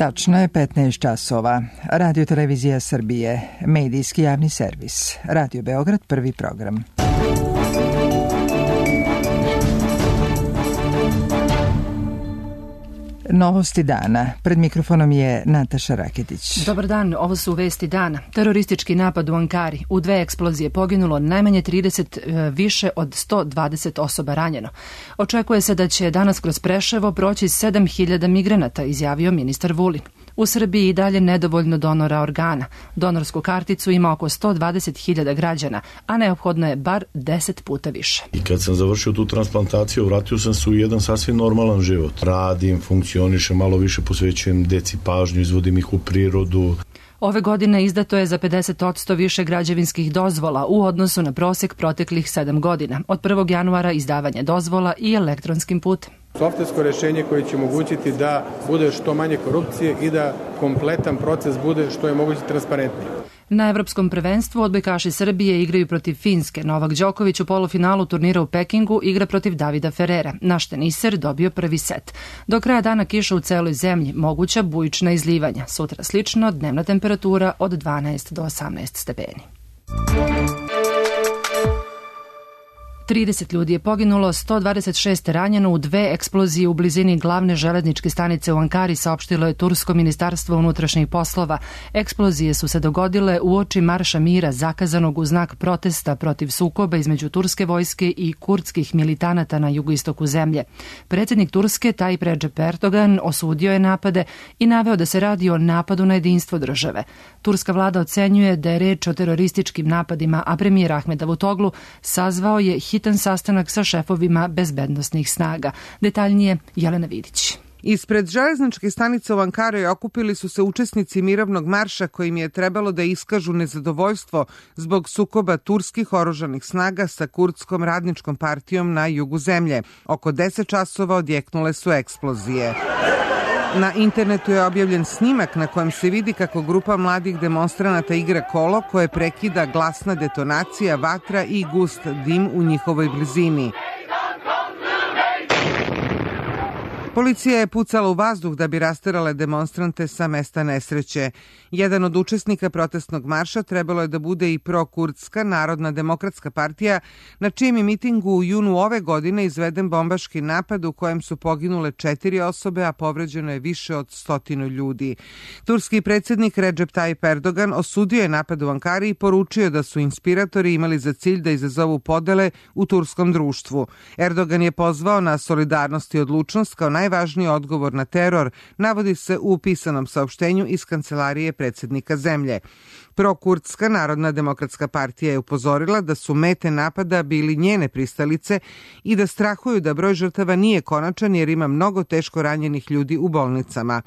Tačno je 15 časova. Radio Televizija Srbije, medijski javni servis. Radio Beograd, prvi program. Novosti dana. Pred mikrofonom je Nataša Raketić. Dobar dan, ovo su vesti dana. Teroristički napad u Ankari. U 2 eksplozije poginulo najmanje 30, više od 120 osoba ranjeno. Očekuje se da će danas kroz Preševo proći 7.000 migranata, izjavio ministar Vulin. U Srbiji i dalje nedovoljno donora organa. Donorsku karticu ima oko 120.000 građana, a neophodno je bar 10 puta više. I kad sam završio tu transplantaciju, vratio sam se u jedan sasvim normalan život. Radim, funkcionišem, malo više posvećujem deci pažnju, izvodim ih u prirodu. Ove godine izdato je za 50% više građevinskih dozvola u odnosu na prosek proteklih 7 godina. Od 1. januara izdavanje dozvola i elektronskim putem. Softversko rješenje koje će omogućiti da bude što manje korupcije i da kompletan proces bude što je moguće transparentniji. Na Evropskom prvenstvu odbojkaši Srbije igraju protiv Finske. Novak Đoković u polufinalu turnira u Pekingu igra protiv Davida Ferrera. Naš teniser dobio prvi set. Do kraja dana kiša u celoj zemlji, moguća bujična izlivanja. Sutra slično, dnevna temperatura od 12 do 18 stepeni. 30 ljudi je poginulo, 126 ranjeno u 2 eksplozije u blizini glavne železničke stanice u Ankari, saopštilo je Tursko ministarstvo unutrašnjih poslova. Eksplozije su se dogodile uoči marša mira zakazanog u znak protesta protiv sukoba između turske vojske i kurdskih militanata na jugoistoku zemlje. Predsjednik Turske Tayyip Recep Erdogan osudio je napade i naveo da se radi o napadu na jedinstvo države. Turska vlada ocenjuje da je reč o terorističkim napadima, a premijer Ahmed Davutoglu sazvao je hitan sastanak sa šefovima bezbednosnih snaga. Detaljnije Jelena Vidić. Ispred železničke stanice u Ankari okupili su se učesnici mirovnog marša kojim je trebalo da iskažu nezadovoljstvo zbog sukoba turskih oružanih snaga sa kurdskom radničkom partijom na jugu zemlje. Oko 10 časova odjeknule su eksplozije. Na internetu je objavljen snimak na kojem se vidi kako grupa mladih demonstranata igra kolo koje prekida glasna detonacija, vatra i gust dim u njihovoj blizini. Policija je pucala u vazduh da bi rasterale demonstrante sa mesta nesreće. Jedan od učesnika protestnog marša trebalo je da bude i prokurdska Narodna demokratska partija, na čijem je mitingu u junu ove godine izveden bombaški napad u kojem su poginule 4 osobe, a povređeno je više od 100 ljudi. Turski predsjednik Recep Tayyip Erdogan osudio je napad u Ankari i poručio da su inspiratori imali za cilj da izazovu podele u turskom društvu. Erdogan je pozvao na solidarnost i odlučnost kao najvažniji odgovor na teror, navodi se u pisanom saopštenju iz kancelarije predsjednika zemlje. Prokurdska Narodna demokratska partija je upozorila da su mete napada bili njene pristalice i da strahuju da broj žrtava nije konačan jer ima mnogo teško ranjenih ljudi u bolnicama.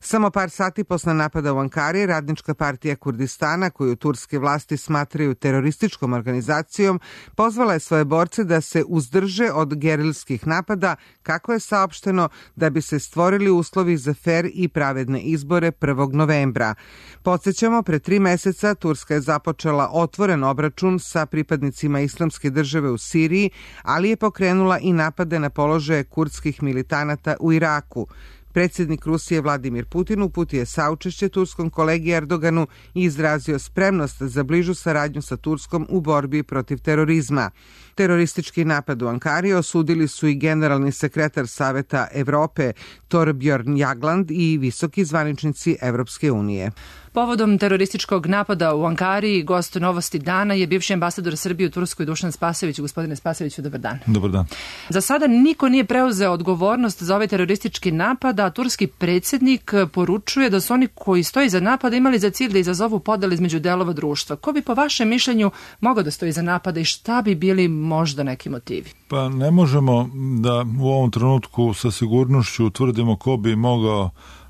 Samo par sati posle napada u Ankari, Radnička partija Kurdistana, koju turske vlasti smatraju terorističkom organizacijom, pozvala je svoje borce da se uzdrže od gerilskih napada, kako je saopšteno, da bi se stvorili uslovi za fer i pravedne izbore 1. novembra. Podsjećamo, pre 3 meseca Turska je započela otvoren obračun sa pripadnicima Islamske države u Siriji, ali je pokrenula i napade na položaje kurdskih militanata u Iraku. Predsjednik Rusije Vladimir Putin uputio je saučešće turskom kolegi Erdoganu i izrazio spremnost za bližu saradnju sa Turskom u borbi protiv terorizma. Teroristički napad u Ankari osudili su i generalni sekretar Saveta Evrope Thorbjørn Jagland i visoki zvaničnici Evropske unije. Povodom terorističkog napada u Ankari, gost Novosti dana je bivši ambasador Srbije u Turskoj Dušan Spasojević. Gospodine Spasojeviću, dobar dan. Dobar dan. Za sada niko nije preuzeo odgovornost za ovaj teroristički napad, a turski predsjednik poručuje da su oni koji stoji za napada imali za cilj da izazovu podele između delova društva. Ko bi po vašem mišljenju mogao da stoji za napada i šta bi bili možda neki motivi? Pa ne možemo da u ovom trenutku sa sigurnošću utvrdimo ko bi mogao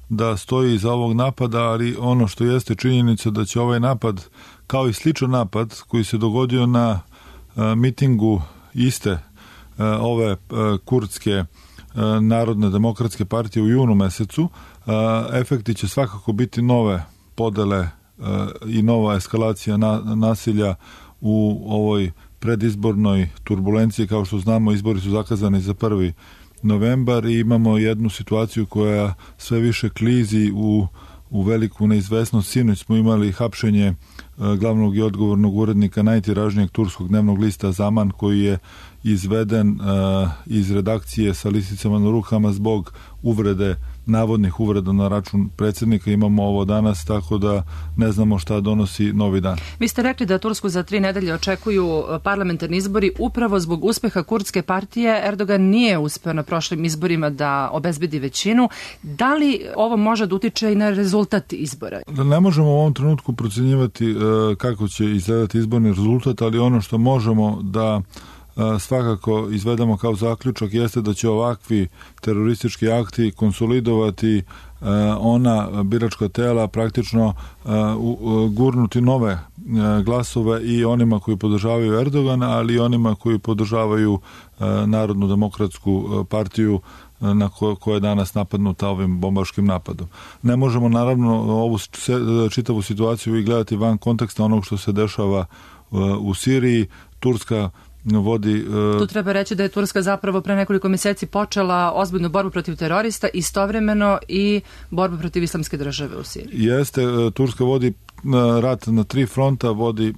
da stoji iza ovog napada, ali ono što jeste činjenica da će ovaj napad, kao i sličan napad koji se dogodio na mitingu iste ove kurdske Narodne demokratske partije u junu mesecu, efekti će svakako biti nove podele i nova eskalacija nasilja u ovoj predizbornoj turbulenciji. Kao što znamo, izbori su zakazani za 1. novembar i imamo jednu situaciju koja sve više klizi u veliku neizvesnost. Sinoć smo imali hapšenje glavnog i odgovornog urednika najtiražnijeg turskog dnevnog lista Zaman, koji je izveden iz redakcije sa lisicama na rukama zbog navodnih uvreda na račun predsjednika. Imamo ovo danas, tako da ne znamo šta donosi novi dan. Vi ste rekli da Tursku za 3 nedelje očekuju parlamentarni izbori. Upravo zbog uspeha kurdske partije Erdogan nije uspeo na prošlim izborima da obezbedi većinu. Da li ovo može da utiče i na rezultat izbora? Ne možemo u ovom trenutku procenjivati kako će izgledati izborni rezultat, ali ono što možemo da svakako izvedemo kao zaključak jeste da će ovakvi teroristički akti konsolidovati ona biračka tela, praktično gurnuti nove glasove i onima koji podržavaju Erdogana, ali i onima koji podržavaju Narodnu demokratsku partiju na koja je danas napadnuta ovim bombaškim napadom. Ne možemo naravno ovu čitavu situaciju i gledati van konteksta onog što se dešava u Siriji. Turska vodi... Tu treba reći da je Turska zapravo pre nekoliko mjeseci počela ozbiljnu borbu protiv terorista, istovremeno i borbu protiv islamske države u Siriji. Jeste, Turska vodi rat na 3 fronta, vodi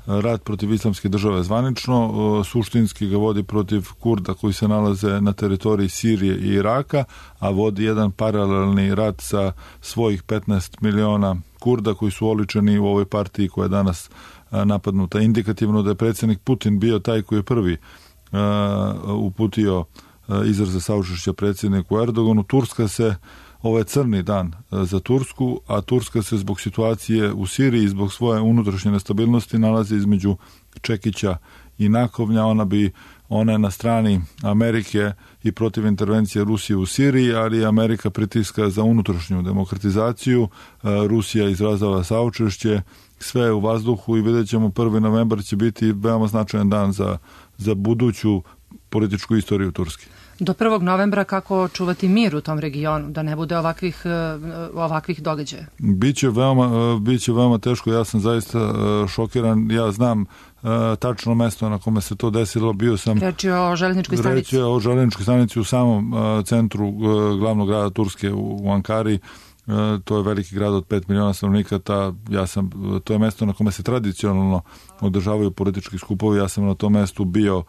rat protiv islamske države zvanično, suštinski ga vodi protiv Kurda koji se nalaze na teritoriji Sirije i Iraka, a vodi jedan paralelni rat sa svojih 15 miliona Kurda koji su oličeni u ovoj partiji koja je danas napadnuta. Indikativno da je predsjednik Putin bio taj koji je prvi uputio izraze saučešća predsjedniku Erdoganu. Turska se, ovo je crni dan za Tursku, a Turska se zbog situacije u Siriji, zbog svoje unutrašnje nestabilnosti nalazi između čekića i nakovnja. Ona je na strani Amerike i protiv intervencije Rusije u Siriji, ali Amerika pritiska za unutrašnju demokratizaciju. Rusija izrazava saučešće, sve je u vazduhu i vidjet ćemo 1. novembar će biti veoma značajan dan za buduću političku istoriju Turske. Do 1. novembra kako čuvati mir u tom regionu, da ne bude ovakvih događaja? Biće veoma teško, ja sam zaista šokiran, ja znam tačno mesto na kome se to desilo, bio sam... Reč je o željezničkoj stanici. Reč je o željezničkoj stanici u samom centru glavnog grada Turske u Ankari. To je veliki grad od 5 miliona stanovnika, to je mesto na kome se tradicionalno održavaju politički skupovi, ja sam na tom mestu bio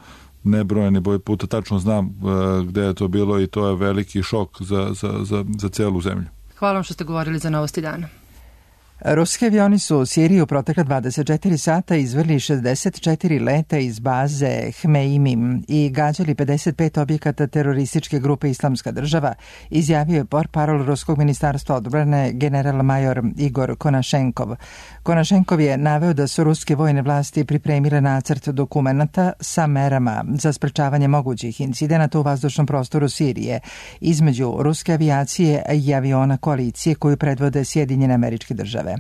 nebrojeni broj puta, tačno znam gde je to bilo i to je veliki šok za celu zemlju. Hvala vam što ste govorili za Novosti dana. Ruski avioni su u Siriji u protekla 24 sata izvrli 64 leta iz baze Hmeimim i gađali 55 objekata terorističke grupe Islamska država, izjavio je portparol Ruskog ministarstva odbrane general-major Igor Konašenkov. Konašenkov je naveo da su ruske vojne vlasti pripremile nacrt dokumenata sa merama za sprečavanje mogućih incidenata u vazdušnom prostoru Sirije između ruske avijacije i aviona koalicije koju predvode Sjedinjene Američke Države.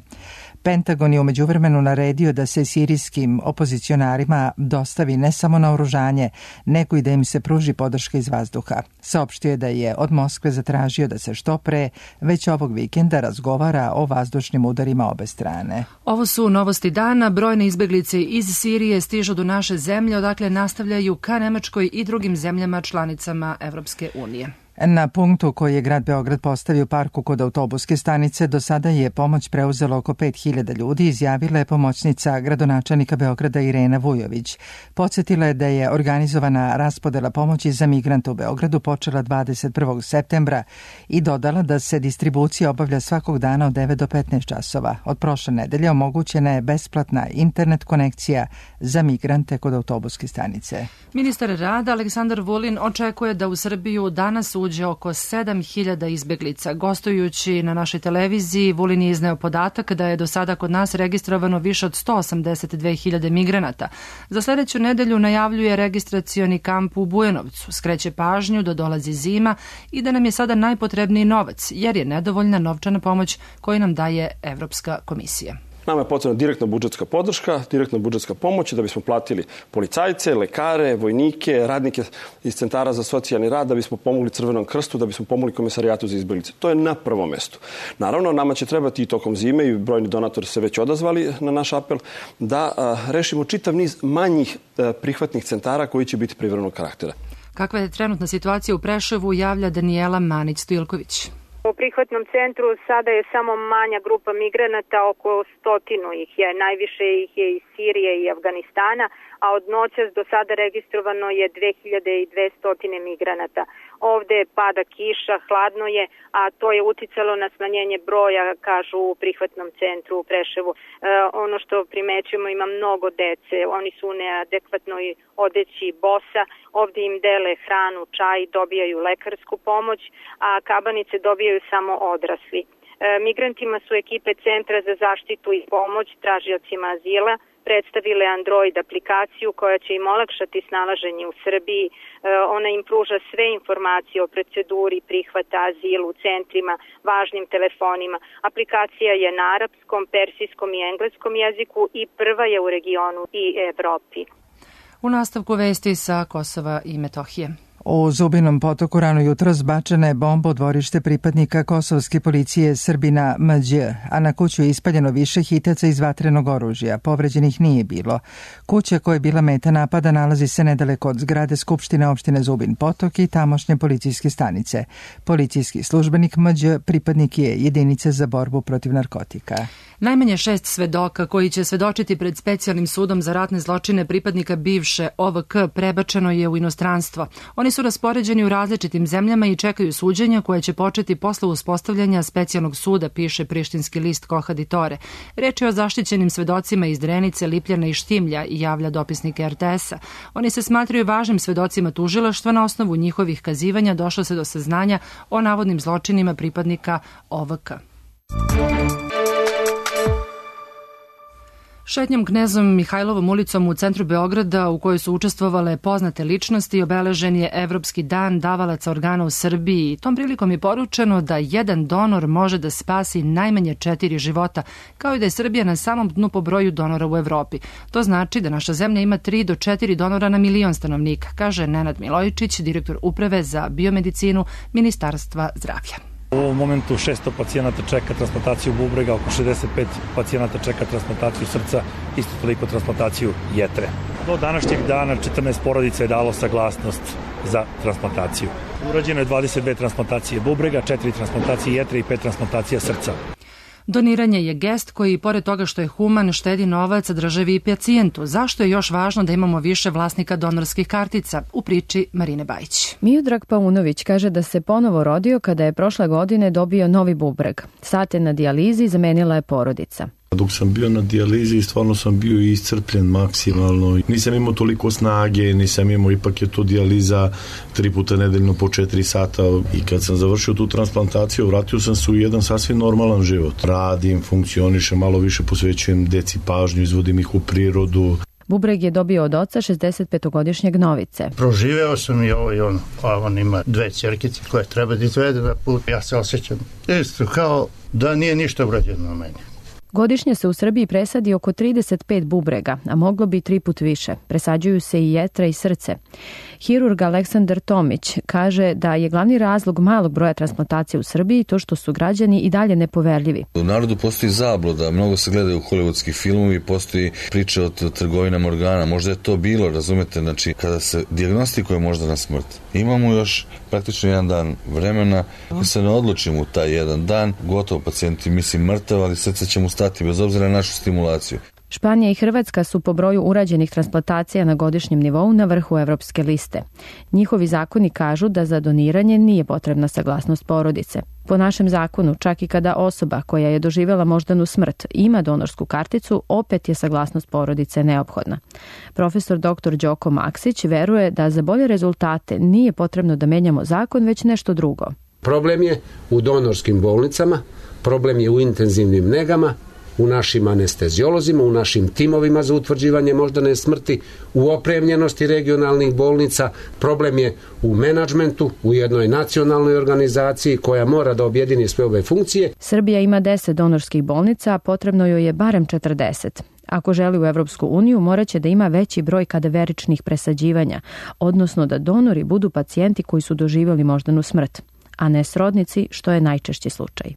Pentagon je u međuvremenu naredio da se sirijskim opozicionarima dostavi ne samo naoružanje, nego i da im se pruži podrška iz vazduha. Saopštio je da je od Moskve zatražio da se što pre, već ovog vikenda, razgovara o vazdušnim udarima obe strane. Ovo su Novosti dana. Brojne izbeglice iz Sirije stižu do naše zemlje, odakle nastavljaju ka Nemačkoj i drugim zemljama članicama Evropske unije. Na punktu koji je grad Beograd postavio parku kod autobuske stanice, do sada je pomoć preuzelo oko 5000 ljudi, izjavila je pomoćnica gradonačelnika Beograda Irena Vujović. Podsjetila je da je organizovana raspodela pomoći za migrante u Beogradu počela 21. septembra i dodala da se distribucija obavlja svakog dana od 9 do 15 časova. Od prošle nedelje omogućena je besplatna internet konekcija za migrante kod autobuske stanice. Ministar rada Aleksandar Vulin očekuje da u Srbiju danas uđe oko 7000 izbeglica. Gostujući na našoj televiziji, Vulin je izneo podatak da je do sada kod nas registrovano više od 182.000 migranata. Za sljedeću nedelju najavljuje registracioni kamp u Bujanovcu. Skreće pažnju da dolazi zima i da nam je sada najpotrebniji novac, jer je nedovoljna novčana pomoć koju nam daje Evropska komisija. Nama je potrebna direktna budžetska podrška, direktna budžetska pomoć da bismo platili policajce, lekare, vojnike, radnike iz centara za socijalni rad, da bismo pomogli Crvenom krstu, da bismo pomogli Komesarijatu za izbeglice. To je na prvom mestu. Naravno, nama će trebati i tokom zime, i brojni donatori se već odazvali na naš apel, da rešimo čitav niz manjih prihvatnih centara koji će biti privremenog karaktera. Kakva je trenutna situacija u Preševu, javlja Danijela Manić-Stojilković. U prihvatnom centru sada je samo manja grupa migranata, oko 100 ih je. Najviše ih je iz Sirije i Afganistana, a od noćas do sada registrovano je 2200 migranata. Ovde pada kiša, hladno je, a to je uticalo na smanjenje broja, kažu u prihvatnom centru u Preševu. Ono što primećujemo, ima mnogo dece, oni su u neadekvatnoj odeći, bosa, ovde im dele hranu, čaj, dobijaju lekarsku pomoć, a kabanice dobijaju samo odrasli. Migrantima su ekipe Centra za zaštitu i pomoć tražiocima azila predstavile Android aplikaciju koja će im olakšati snalaženje u Srbiji. Ona im pruža sve informacije o proceduri prihvata azilu u centrima, važnim telefonima. Aplikacija je na arapskom, persijskom i engleskom jeziku i prva je u regionu i Evropi. U nastavku vesti sa Kosova i Metohije. U Zubinom potoku rano jutro zbačena je bomba u dvorište pripadnika kosovske policije Srbina Mđ, a na kuću je ispaljeno više hitaca iz vatrenog oružja. Povređenih nije bilo. Kuća koja je bila meta napada nalazi se nedaleko od zgrade Skupštine opštine Zubin potok i tamošnje policijske stanice. Policijski službenik Mđ pripadnik je jedinice za borbu protiv narkotika. Najmanje 6 svedoka koji će svedočiti pred specijalnim sudom za ratne zločine pripadnika bivše OVK prebačeno je u inostranstvo. Oni su raspoređeni u različitim zemljama i čekaju suđenja koje će početi posle uspostavljanja specijalnog suda, piše prištinski list Kohaditore. Reč je o zaštićenim svedocima iz Drenice, Lipljana i Štimlja, javlja dopisnik RTS-a. Oni se smatraju važnim svedocima tužilaštva. Na osnovu njihovih kazivanja došlo se do saznanja o navodnim zločinima pripadnika OVK. Šetnjom Knezom Mihajlovom ulicom u centru Beograda, u kojoj su učestvovale poznate ličnosti, obeležen je Evropski dan davalaca organa u Srbiji. Tom prilikom je poručeno da jedan donor može da spasi najmanje 4 života, kao i da je Srbija na samom dnu po broju donora u Evropi. To znači da naša zemlja ima 3 do 4 donora na milion stanovnika, kaže Nenad Milojičić, direktor uprave za biomedicinu Ministarstva zdravlja. U ovom momentu 600 pacijenata čeka transplantaciju bubrega, oko 65 pacijenata čeka transplantaciju srca, isto toliko transplantaciju jetre. Do današnjeg dana 14 porodica je dalo saglasnost za transplantaciju. Urađeno je 22 transplantacije bubrega, 4 transplantacije jetre i 5 transplantacija srca. Doniranje je gest koji, pored toga što je human, štedi novac državi i pacijentu. Zašto je još važno da imamo više vlasnika donorskih kartica? U priči Marine Bajić. Miodrag Paunović kaže da se ponovo rodio kada je prošle godine dobio novi bubreg. Sate na dijalizi zamenila je porodica. Dok sam bio na dijalizi, stvarno sam bio iscrpljen maksimalno. Nisam imao toliko snage, nisam imao, ipak je to dijaliza 3 puta nedeljno po 4 sata. I kad sam završio tu transplantaciju, vratio sam se u jedan sasvim normalan život. Radim, funkcionišem, malo više posvećujem deci pažnju, izvodim ih u prirodu. Bubreg je dobio od oca 65-godišnjeg Novice. Proživeo sam i ovo i ono, a on ima 2 ćerkice koje treba da izvede na put. Ja se osjećam isto kao da nije ništa urađeno na meni. Godišnje se u Srbiji presadi oko 35 bubrega, a moglo bi 3 put više. Presađuju se i jetra i srce. Hirurg Aleksandar Tomić kaže da je glavni razlog malog broja transplantacija u Srbiji to što su građani i dalje nepoverljivi. U narodu postoji zabluda, mnogo se gledaju hollywoodski filmovi, postoji priča o trgovinama organa. Možda je to bilo, razumete, znači kada se dijagnostikuje možda na smrt. Imamo još praktično 1 dan vremena. Ako se ne odlučimo u taj 1 dan, gotovo pacijenti mislim mrtav, ali srce će mu stati bez obzira na našu stimulaciju. Španija i Hrvatska su po broju urađenih transplantacija na godišnjem nivou na vrhu evropske liste. Njihovi zakoni kažu da za doniranje nije potrebna saglasnost porodice. Po našem zakonu, čak i kada osoba koja je doživjela moždanu smrt ima donorsku karticu, opet je saglasnost porodice neophodna. Profesor dr. Đoko Maksić veruje da za bolje rezultate nije potrebno da menjamo zakon, već nešto drugo. Problem je u donorskim bolnicama, problem je u intenzivnim negama, u našim anesteziolozima, u našim timovima za utvrđivanje moždane smrti, u opremljenosti regionalnih bolnica, problem je u menadžmentu, u jednoj nacionalnoj organizaciji koja mora da objedini sve ove funkcije. Srbija ima 10 donorskih bolnica, a potrebno joj je barem 40. Ako želi u Evropsku uniju, moraće da ima veći broj kadaveričnih presađivanja, odnosno da donori budu pacijenti koji su doživjeli moždanu smrt, a ne srodnici, što je najčešći slučaj.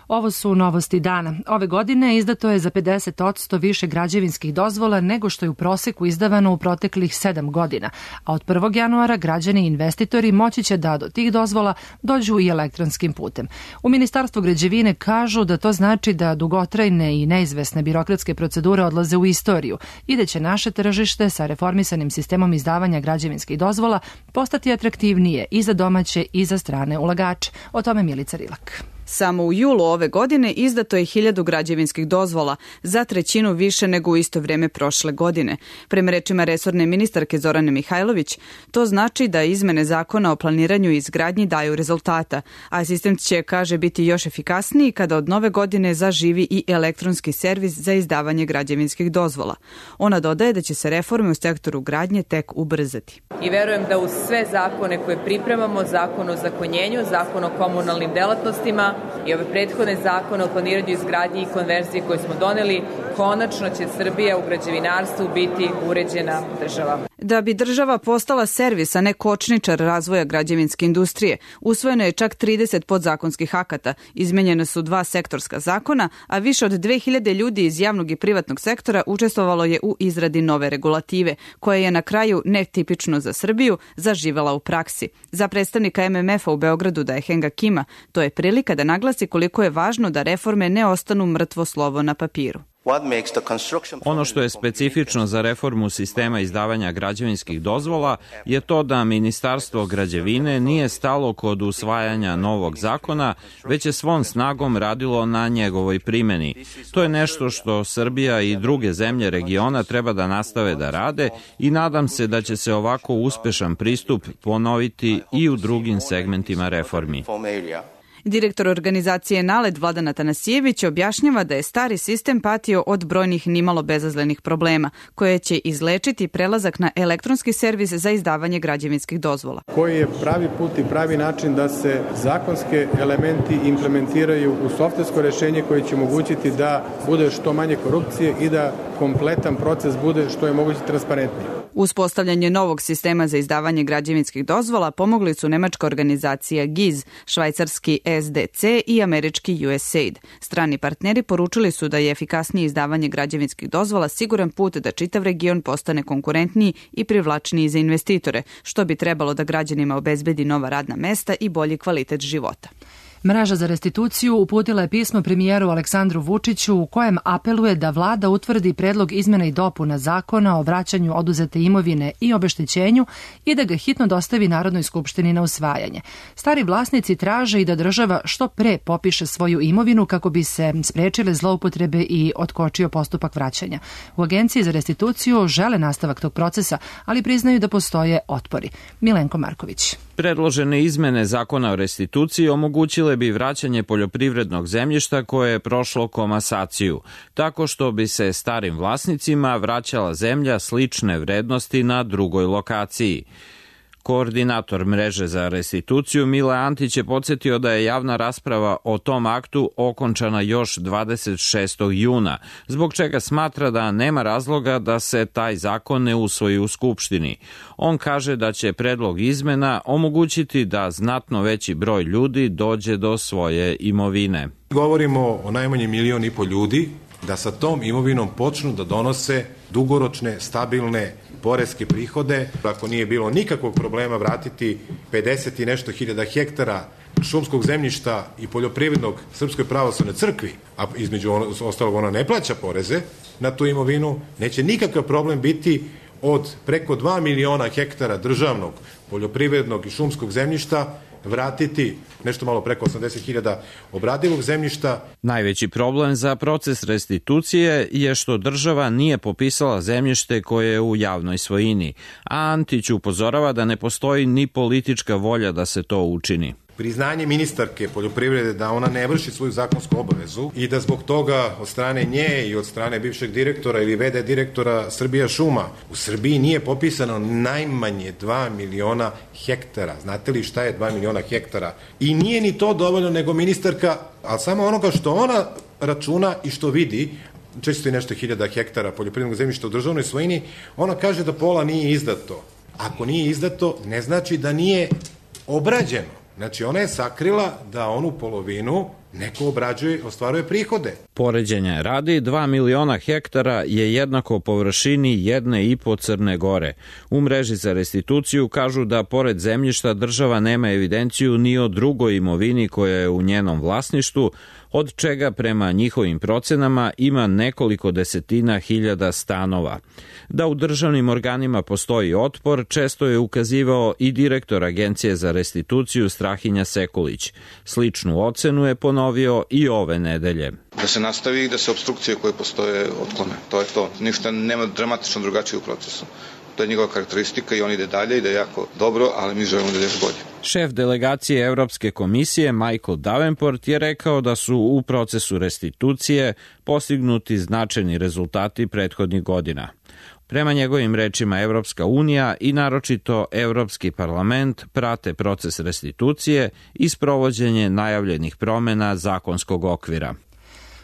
Ovo su novosti dana. Ove godine izdato je za 50% više građevinskih dozvola nego što je u proseku izdavano u proteklih 7 godina, a od 1. januara građani i investitori moći će da do tih dozvola dođu i elektronskim putem. U Ministarstvu građevine kažu da to znači da dugotrajne i neizvesne birokratske procedure odlaze u istoriju i da će naše tržište sa reformisanim sistemom izdavanja građevinskih dozvola postati atraktivnije i za domaće i za strane ulagače. O tome Milica Rilak. Samo u julu ove godine izdato je 1000 građevinskih dozvola, za 1/3 više nego u isto vrijeme prošle godine. Prema rečima resorne ministarke Zorane Mihajlović, to znači da izmene zakona o planiranju i izgradnji daju rezultata, a sistem će, kaže, biti još efikasniji kada od nove godine zaživi i elektronski servis za izdavanje građevinskih dozvola. Ona dodaje da će se reforme u sektoru gradnje tek ubrzati. I verujem da uz sve zakone koje pripremamo, zakon o zakonjenju, zakon o komunalnim delatnostima i ove prethodne zakone o planiranju, izgradnji i konverziji koje smo doneli, konačno će Srbija u građevinarstvu biti uređena država. Da bi država postala servis, a ne kočničar razvoja građevinske industrije, usvojeno je čak 30 podzakonskih akata, izmenjene su 2 sektorska zakona, a više od 2000 ljudi iz javnog i privatnog sektora učestvovalo je u izradi nove regulative, koja je na kraju, netipično za Srbiju, zaživela u praksi. Za predstavnika MMF-a u Beogradu Daehenga Kima, to je prilika da naglasi koliko je važno da reforme ne ostanu mrtvo slovo na papiru. Ono što je specifično za reformu sistema izdavanja građevinskih dozvola je to da Ministarstvo građevine nije stalo kod usvajanja novog zakona, već je svom snagom radilo na njegovoj primjeni. To je nešto što Srbija i druge zemlje regiona treba da nastave da rade i nadam se da će se ovako uspešan pristup ponoviti i u drugim segmentima reformi. Direktor organizacije NALED Vladan Atanasijević objašnjava da je stari sistem patio od brojnih nimalo bezazlenih problema, koje će izlečiti prelazak na elektronski servis za izdavanje građevinskih dozvola. Koji je pravi put i pravi način da se zakonske elementi implementiraju u softversko rešenje koje će omogućiti da bude što manje korupcije i da kompletan proces bude što je moguće transparentniji. Uspostavljanje novog sistema za izdavanje građevinskih dozvola pomogli su nemačka organizacija GIZ, švajcarski SDC i američki USAID. Strani partneri poručili su da je efikasnije izdavanje građevinskih dozvola siguran put da čitav region postane konkurentniji i privlačniji za investitore, što bi trebalo da građanima obezbedi nova radna mesta i bolji kvalitet života. Mreža za restituciju uputila je pismo premijeru Aleksandru Vučiću u kojem apeluje da vlada utvrdi predlog izmena i dopuna zakona o vraćanju oduzete imovine i obeštećenju i da ga hitno dostavi Narodnoj skupštini na usvajanje. Stari vlasnici traže i da država što pre popiše svoju imovinu kako bi se sprečile zloupotrebe i otkočio postupak vraćanja. U Agenciji za restituciju žele nastavak tog procesa, ali priznaju da postoje otpori. Milenko Marković. Predložene izmene zakona o restituciji omogućile bi vraćanje poljoprivrednog zemljišta koje je prošlo komasaciju, tako što bi se starim vlasnicima vraćala zemlja slične vrednosti na drugoj lokaciji. Koordinator mreže za restituciju Mile Antić je podsjetio da je javna rasprava o tom aktu okončana još 26. juna, zbog čega smatra da nema razloga da se taj zakon ne usvoji u Skupštini. On kaže da će predlog izmena omogućiti da znatno veći broj ljudi dođe do svoje imovine. Govorimo o najmanje 1,5 miliona ljudi da sa tom imovinom počnu da donose dugoročne, stabilne poreske prihode. Ako nije bilo nikakvog problema vratiti 50 i nešto hiljada hektara šumskog zemljišta i poljoprivrednog Srpskoj pravoslavnoj crkvi, a između ostalog ona ne plaća poreze na tu imovinu, neće nikakav problem biti od preko 2 miliona hektara državnog poljoprivrednog i šumskog zemljišta vratiti nešto malo preko 80.000 obradivog zemljišta. Najveći problem za proces restitucije je što država nije popisala zemljište koje je u javnoj svojini, a Antić upozorava da ne postoji ni politička volja da se to učini. Priznanje ministarke poljoprivrede da ona ne vrši svoju zakonsku obavezu i da zbog toga od strane nje i od strane bivšeg direktora ili VD direktora Srbija šuma u Srbiji nije popisano najmanje 2 miliona hektara. Znate li šta je 2 miliona hektara? I nije ni to dovoljno, nego ministarka, ali samo onoga što ona računa i što vidi, 400 i nešto hiljada hektara poljoprivrednog zemljišta u državnoj svojini, ona kaže da pola nije izdato. Ako nije izdato, ne znači da nije obrađeno. Znači, ona je sakrila da onu polovinu neko obrađuje, ostvaruje prihode. Poređenja radi, 2 miliona hektara je jednako površini 1,5 Crne Gore. U mreži za restituciju kažu da pored zemljišta država nema evidenciju ni o drugoj imovini koja je u njenom vlasništvu, od čega prema njihovim procenama ima nekoliko desetina hiljada stanova. Da u državnim organima postoji otpor, često je ukazivao i direktor Agencije za restituciju Strahinja Sekulić. Sličnu ocenu je ponovio i ove nedelje. Da se nastavi i da se opstrukcije koje postoje otklone. To je to. Ništa nema dramatično drugačije u procesu. To je njegova karakteristika i on ide dalje, ide jako dobro, ali mi želimo da ide još bolje. Šef delegacije Evropske komisije Michael Davenport je rekao da su u procesu restitucije postignuti značajni rezultati prethodnih godina. Prema njegovim rečima Evropska unija i naročito Evropski parlament prate proces restitucije i sprovođenje najavljenih promena zakonskog okvira.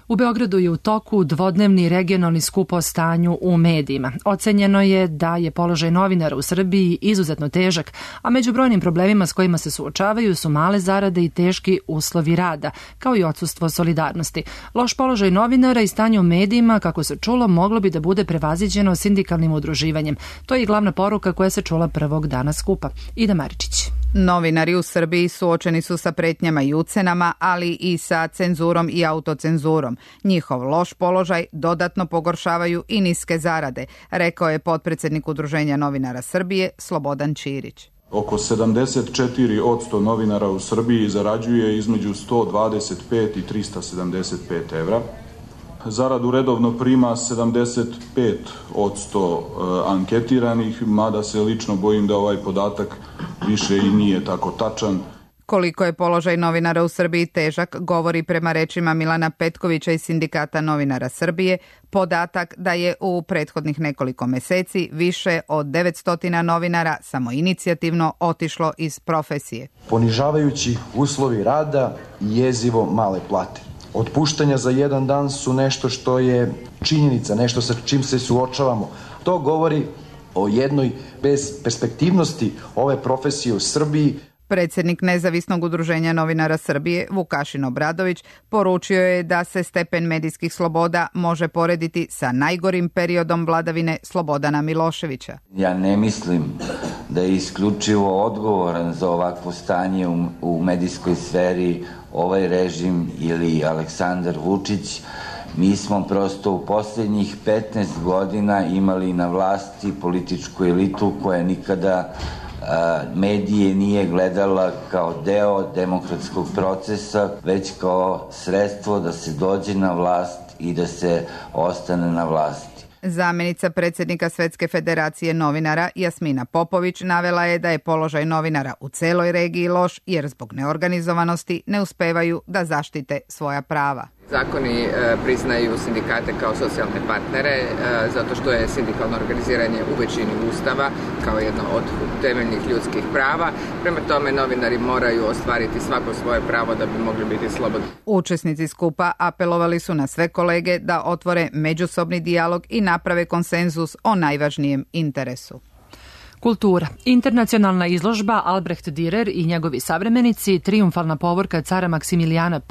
U Beogradu je u toku dvodnevni regionalni skup o stanju u medijima. Ocenjeno je da je položaj novinara u Srbiji izuzetno težak, a među brojnim problemima s kojima se suočavaju su male zarade i teški uslovi rada, kao i odsustvo solidarnosti. Loš položaj novinara i stanje u medijima, kako se čulo, moglo bi da bude prevaziđeno sindikalnim udruživanjem. To je i glavna poruka koja se čula prvog dana skupa. Ida Maričić. Novinari u Srbiji suočeni su sa pretnjama i ucenama, ali i sa cenzurom i autocenzurom. Njihov loš položaj dodatno pogoršavaju i niske zarade, rekao je potpredsednik Udruženja novinara Srbije Slobodan Ćirić. Oko 74% novinara u Srbiji zarađuje između 125 i 375 evra. Zaradu redovno prima 75% anketiranih, mada se lično bojim da ovaj podatak više i nije tako tačan. Koliko je položaj novinara u Srbiji težak, govori prema rečima Milana Petkovića iz Sindikata novinara Srbije podatak da je u prethodnih nekoliko meseci više od 900 novinara samoinicijativno otišlo iz profesije. Ponižavajući uslovi rada i jezivo male plate. Otpuštanja za jedan dan su nešto što je činjenica, nešto sa čim se suočavamo. To govori o jednoj bezperspektivnosti ove profesije u Srbiji. Predsednik Nezavisnog udruženja novinara Srbije, Vukašin Obradović, poručio je da se stepen medijskih sloboda može porediti sa najgorim periodom vladavine Slobodana Miloševića. Ja ne mislim da je isključivo odgovoran za ovakvo stanje u medijskoj sferi ovaj režim ili Aleksandar Vučić. Mi smo prosto u posljednjih 15 godina imali na vlasti političku elitu koja nikada medije nije gledala kao deo demokratskog procesa, već kao sredstvo da se dođe na vlast i da se ostane na vlasti. Zamenica predsjednika Svetske federacije novinara Jasmina Popović navela je da je položaj novinara u celoj regiji loš jer zbog neorganizovanosti ne uspevaju da zaštite svoja prava. Zakoni priznaju sindikate kao socijalne partnere zato što je sindikalno organiziranje u većini ustava kao jedno od temeljnih ljudskih prava. Prema tome novinari moraju ostvariti svako svoje pravo da bi mogli biti slobodni. Učesnici skupa apelovali su na sve kolege da otvore međusobni dijalog i naprave konsenzus o najvažnijem interesu. Kultura. Internacionalna izložba Albrecht Dürer i njegovi savremenici, trijumfalna povorka cara Maksimilijana I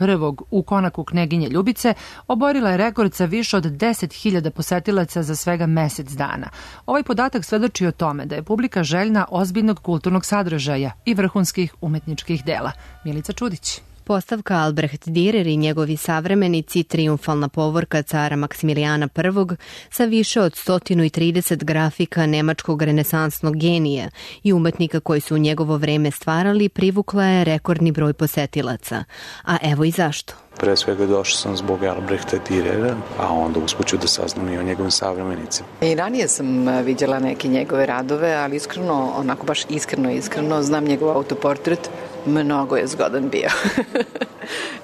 u konaku kneginje Ljubice, oborila je rekord sa više od 10.000 posetilaca za svega mesec dana. Ovaj podatak svedoči o tome da je publika željna ozbiljnog kulturnog sadržaja i vrhunskih umetničkih dela. Milica Čudić. Postavka Albrecht Dürer i njegovi savremenici, trijumfalna povorka cara Maksimilijana I sa više od 130 grafika nemačkog renesansnog genija i umetnika koji su u njegovo vreme stvarali, privukla je rekordni broj posetilaca. A evo i zašto. Pre svega došao sam zbog Albrechta Dürera, a onda uspuću da saznam i o njegovim savremenicima. I ranije sam vidjela neke njegove radove, ali iskreno, onako baš iskreno, znam njegov autoportret, mnogo je zgodan bio.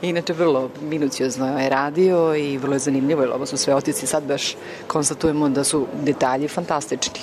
Inače, vrlo minuciozno je radio i vrlo je zanimljivo, jer ovo su sve otici, sad baš konstatujemo da su detalji fantastični.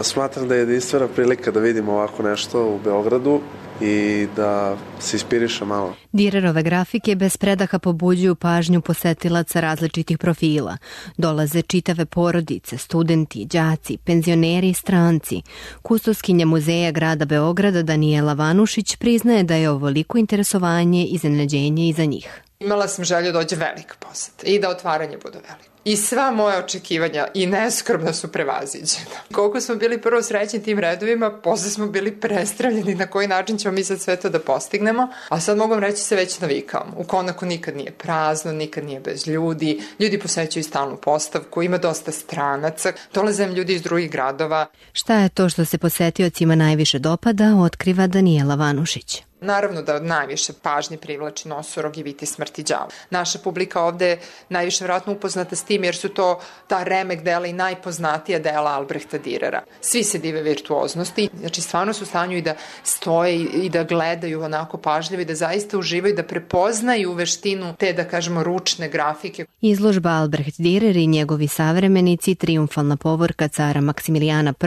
Smatram da je jedinstvena prilika da vidimo ovako nešto u Beogradu i da se inspiriše malo. Dürerove grafike bez predaha pobuđuju pažnju posetilaca različitih profila. Dolaze čitave porodice, studenti, đaci, penzioneri i stranci. Kustoskinja muzeja grada Beograda Danijela Vanušić priznaje da je ovoliko interesovanje iznenađenje i za njih. Imala sam želju da dođe velika poseta i da otvaranje bude veliko. I sva moja očekivanja i neskromno su prevaziđena. Koliko smo bili prvo srećni tim redovima, posle smo bili prestravljeni na koji način ćemo mi sad sve to da postignemo, a sad mogu vam reći se već navikavamo. U Konaku nikad nije prazno, nikad nije bez ljudi, ljudi posećuju stalnu postavku, ima dosta stranaca, dolaze ljudi iz drugih gradova. Šta je to što se posetiocima najviše dopada, otkriva Danijela Vanušić. Naravno da najviše pažnje privlači Nosorog i Viti smrti đava. Naša publika ovde je najviše vjerojatno upoznata s tim jer su to ta remek dela i najpoznatija dela Albrehta Dürera. Svi se dive virtuoznosti, znači stvarno su u stanju i da stoje i da gledaju onako pažljivo i da zaista uživaju, da prepoznaju veštinu te, da kažemo, ručne grafike. Izložba Albrecht Dürer i njegovi savremenici, triumfalna povorka cara Maksimilijana I,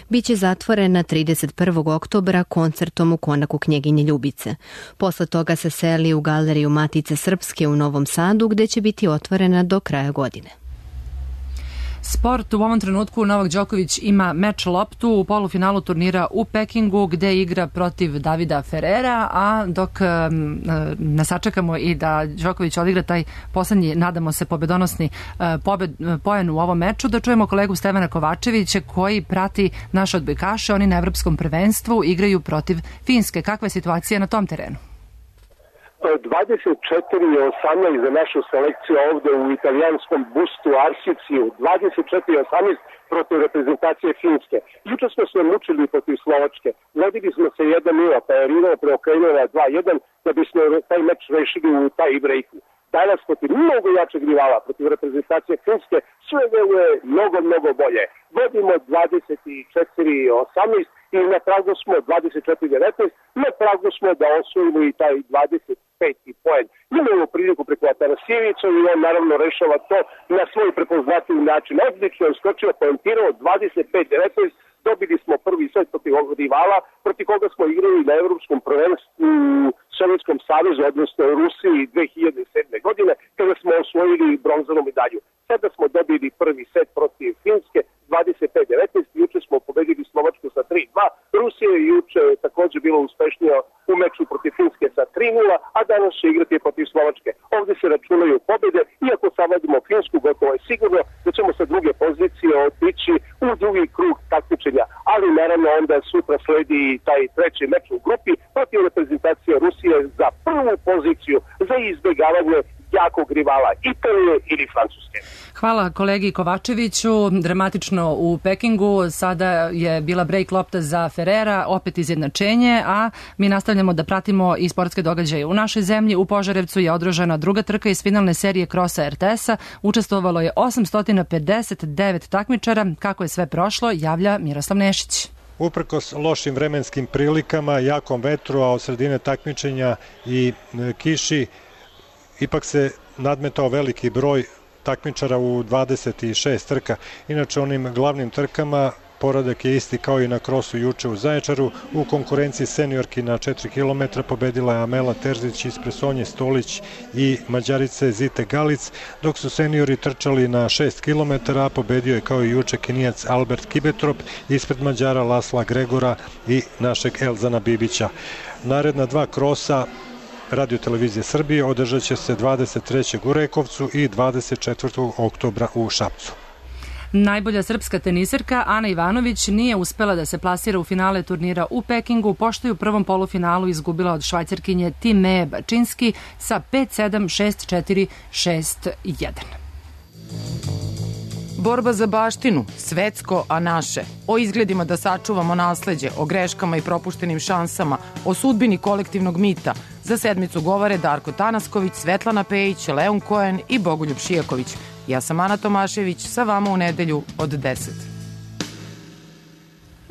biće zatvorena 31. oktobra koncertom u Konaku knjeginje Ljubice. Posle toga se seli u galeriju Matice Srpske u Novom Sadu, gde će biti otvorena do kraja godine. Sport u ovom trenutku Novak Đoković ima meč loptu u polufinalu turnira u Pekingu gde igra protiv Davida Ferrera, a dok ne sačekamo i da Đoković odigra taj poslednji, nadamo se, pobedonosni poen u ovom meču, da čujemo kolegu Stevana Kovačevića koji prati naše odbojkaše. Oni na evropskom prvenstvu igraju protiv Finske. Kakva je situacija na tom terenu? 24-18 za našu selekciju ovde u italijanskom bustu Arsiciju, 24-18 protiv reprezentacije Finske. Juče smo se mučili protiv Slovačke, vodili smo se 1-0, pa je Rino preokrenuo na 2-1 da bismo taj meč rešili u taj breaku. Danas protiv mnogo jačeg rivala, protiv reprezentacije Finske, sve deluje mnogo bolje. Vodimo 24-18 i na pragu smo 24-19, na pragu smo da osvojimo i taj 25. poen. Imamo priliku preko Atanasijevića i on naravno rešava to na svoj prepoznatljiv način. Odlično je skočio, poentirao 25-19, dobili smo prvi set protiv ovog rivala, protiv koga smo igrali na evropskom prvenstvu u Sovjetskom savezu, odnosno u Rusiji 2007. godine, kada smo osvojili bronzanu medalju. Sada smo dobili prvi set protiv Finske, 25-19, juče smo pobedili Slovačku sa 3-2, Rusija je juče također bilo uspešnija u meču protiv Finske sa 3-0, a danas će igrati protiv Slovačke. Ovdje se računaju pobjede, iako savladimo Finsku, gotovo je sigurno da ćemo sa druge pozicije otići u drugi krug takmičenja, ali naravno onda sutra sledi taj treći meč u grupi protiv reprezentacije Rusije za prvu poziciju za izbjegavanje jakog rivala Italije ili Francuske. Hvala kolegi Kovačeviću. Dramatično u Pekingu. Sada je bila break lopta za Ferrera, opet izjednačenje, a mi nastavljamo da pratimo i sportske događaje u našoj zemlji. U Požarevcu je održana druga trka iz finalne serije krosa RTS-a. Učestvovalo je 859 takmičara. Kako je sve prošlo, javlja Miroslav Nešić. Uprkos lošim vremenskim prilikama, jakom vetru, a od sredine takmičenja i kiši, ipak se nadmetao veliki broj takmičara u 26 trka. Inače, onim glavnim trkama poredak je isti kao i na krosu juče u Zaječaru. U konkurenciji seniorki na 4 km pobedila je Amela Terzić ispred Sonje Stolić i Mađarice Zite Galic, dok su seniori trčali na 6 km, a pobedio je kao i juče Kenijac Albert Kibetrop ispred Mađara Lasla Gregora i našeg Elzana Bibića. Naredna dva krosa Radio Televizije Srbije održat će se 23. u Rekovcu i 24. oktobra u Šapcu. Najbolja srpska teniserka Ana Ivanović nije uspela da se plasira u finale turnira u Pekingu, pošto je u prvom polufinalu izgubila od Švajcarkinje Timee Bačinski sa 5-7, 6-4, 6-1. Borba za baštinu, svetsko, a naše. O izgledima da sačuvamo nasleđe, o greškama i propuštenim šansama, o sudbini kolektivnog mita. Za sedmicu govore Darko Tanasković, Svetlana Pejić, Leon Koen i Bogoljub Šijaković. Ja sam Ana Tomašević, sa vama u nedelju od 10.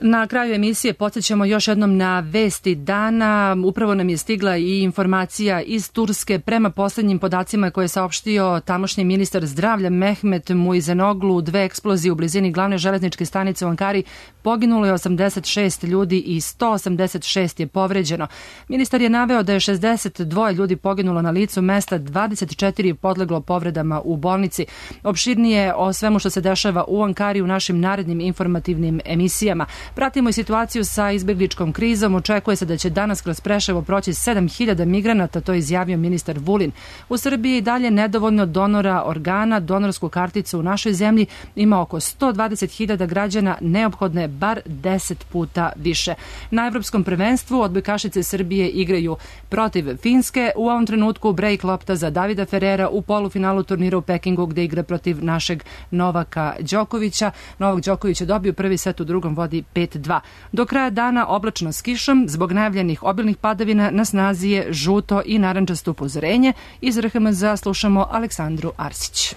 Na kraju emisije podsjećamo još jednom na vesti dana. Upravo nam je stigla i informacija iz Turske. Prema poslednjim podacima koje je saopštio tamošnji ministar zdravlja Mehmet Muizenoglu, 2 eksplozije u blizini glavne železničke stanice u Ankari, poginulo je 86 ljudi i 186 je povređeno. Ministar je naveo da je 62 ljudi poginulo na licu mesta, 24 je podleglo povredama u bolnici. Opširnije o svemu što se dešava u Ankari u našim narednim informativnim emisijama. Pratimo i situaciju sa izbegličkom krizom. Očekuje se da će danas kroz Preševo proći 7.000 migranata, to je izjavio ministar Vulin. U Srbiji dalje nedovoljno donora organa. Donorsku karticu u našoj zemlji ima oko 120.000 građana, neophodno je bar 10 puta više. Na evropskom prvenstvu odbojkašice Srbije igraju protiv Finske. U ovom trenutku break lopta za Davida Ferrera u polufinalu turnira u Pekingu gde igra protiv našeg Novaka Đokovića. Novak Đoković je dobio prvi set, u drugom vodi 5-2. Do kraja dana oblačno s kišom, zbog najavljenih obilnih padavina na snazi je žuto i narančasto upozorenje. Iz RHMZ slušamo Aleksandru Arsić.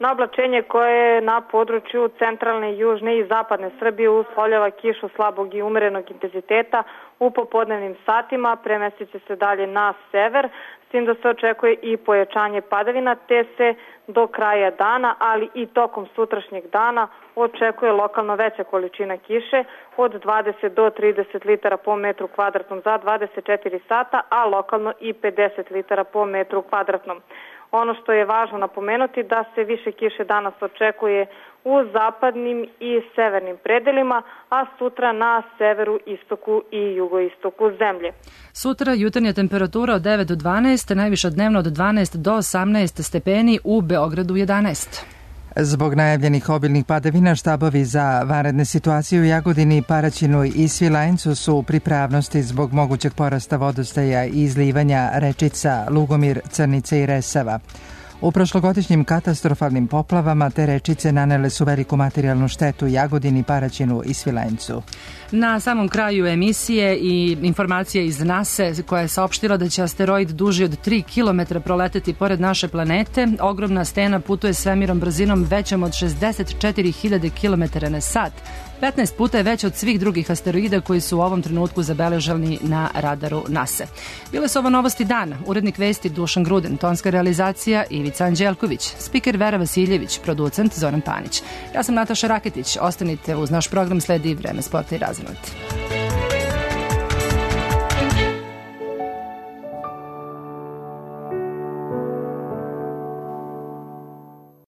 Na oblačenje koje je na području centralne, južne i zapadne Srbije uslovljava kišu slabog i umerenog intenziteta u popodnevnim satima, premestit će se dalje na sever, s tim da se očekuje i pojačanje padavina, te se do kraja dana, ali i tokom sutrašnjeg dana očekuje lokalno veća količina kiše od 20 do 30 litara po metru kvadratnom za 24 sata, a lokalno i 50 litara po metru kvadratnom. Ono što je važno napomenuti da se više kiše danas očekuje u zapadnim i severnim predelima, a sutra na severu, istoku i jugoistoku zemlje. Sutra jutarnja temperatura od 9 do 12, najviša dnevno od 12 do 18 stepeni, u Beogradu 11. Zbog najavljenih obilnih padavina, štabovi za vanredne situacije u Jagodini, Paraćinu i Svilajncu su u pripravnosti zbog mogućeg porasta vodostaja i izlivanja rečica Lugomir, Crnice i Resava. U prošlogodišnjim katastrofalnim poplavama te rečice nanele su veliku materijalnu štetu Jagodini, Paraćinu i Svilajncu. Na samom kraju emisije i informacija iz NASA koja je saopštila da će asteroid duži od 3 km proleteti pored naše planete. Ogromna stena putuje svemirom brzinom većom od 64.000 km na sat. 15 puta je već od svih drugih asteroida koji su u ovom trenutku zabeleženi na radaru NASA. Bile su ovo novosti dana. Urednik vesti Dušan Gruden, tonska realizacija Ivica Anđelković, spiker Vera Vasiljević, producent Zoran Panić. Ja sam Nataša Raketić. Ostanite uz naš program, sledi Vreme sporta i razonut.